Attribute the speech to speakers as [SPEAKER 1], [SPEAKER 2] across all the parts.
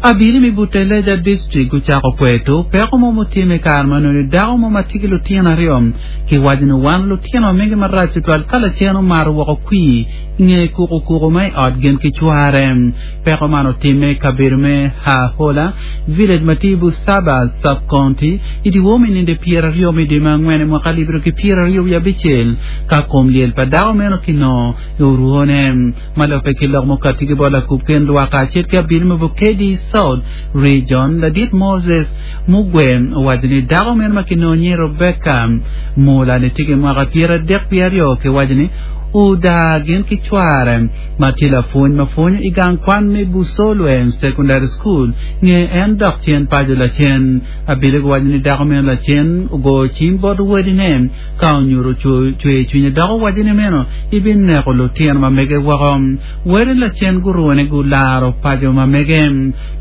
[SPEAKER 1] Abili me Butaleja District gucako kweto peko mo mutimme i kare ma onongo dako mo ma tye ki lutino aryo kiwaco ni wan lutino ma mege marac tutwal ka lacen omato woko kwir i nge kukukuku ma i ot gin ki cware. Peko man otimme i kabedo me Hahola Village ma tye i Busaba Sub-County i dyewor me ninde pyeraryo me dwe me angwen i mwaka alip aryo ki pyeraryo wiye abicel ka kom lyel pa dako meno kinongo i orwone. Ma lubbe ki lok mukatti ki bot lakub kin lwak kacel ki abili me Bukedi South Region, ladit Moses Mugwe owaco ni dako meno ma kinongo nyinge Rebecca Mula ni tye ki mwaka 32 kiwaco ni odaa gin ki cware ma tye lapwony ma pwonyo i gang kwan me Busolwe Secondary School nge en dok cen paco lacen. Abili guwaco ni dako meno lacen ogoyo cim bot wadine Ka onyuto cwer cwinye dok owaco ni meno ibineko lutino ma mege woko. Wele lacen gurune gularo paco ma mege.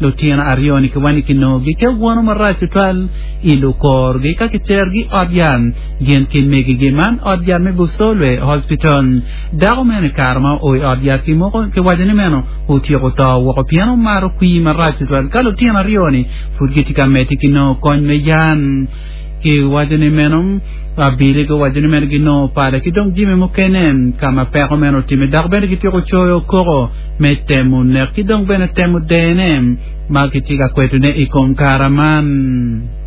[SPEAKER 1] Lutino aryo-ni kiwaco ni kinongogi ki awano marac tutwal i lukorgi ka kiterogi i ot yat gin ki megigi man ot yat me Busolwe Hospital. Dako meno i kare ma oo i ot yat kiwaco ni meno otyeko to woko pien omato kwir marac tutwal ka lutino aryo-ni pud gitye ka medde ki nongo kony me yat. Kiwaco ni meno abili guwaco ni meno ginongo pala ki dong jami mukene ka ma peko meno otimme dok bene gityeko coyo koko me temo nek ki dong bene temo dene ma kitye ka kwetone i kom kara man.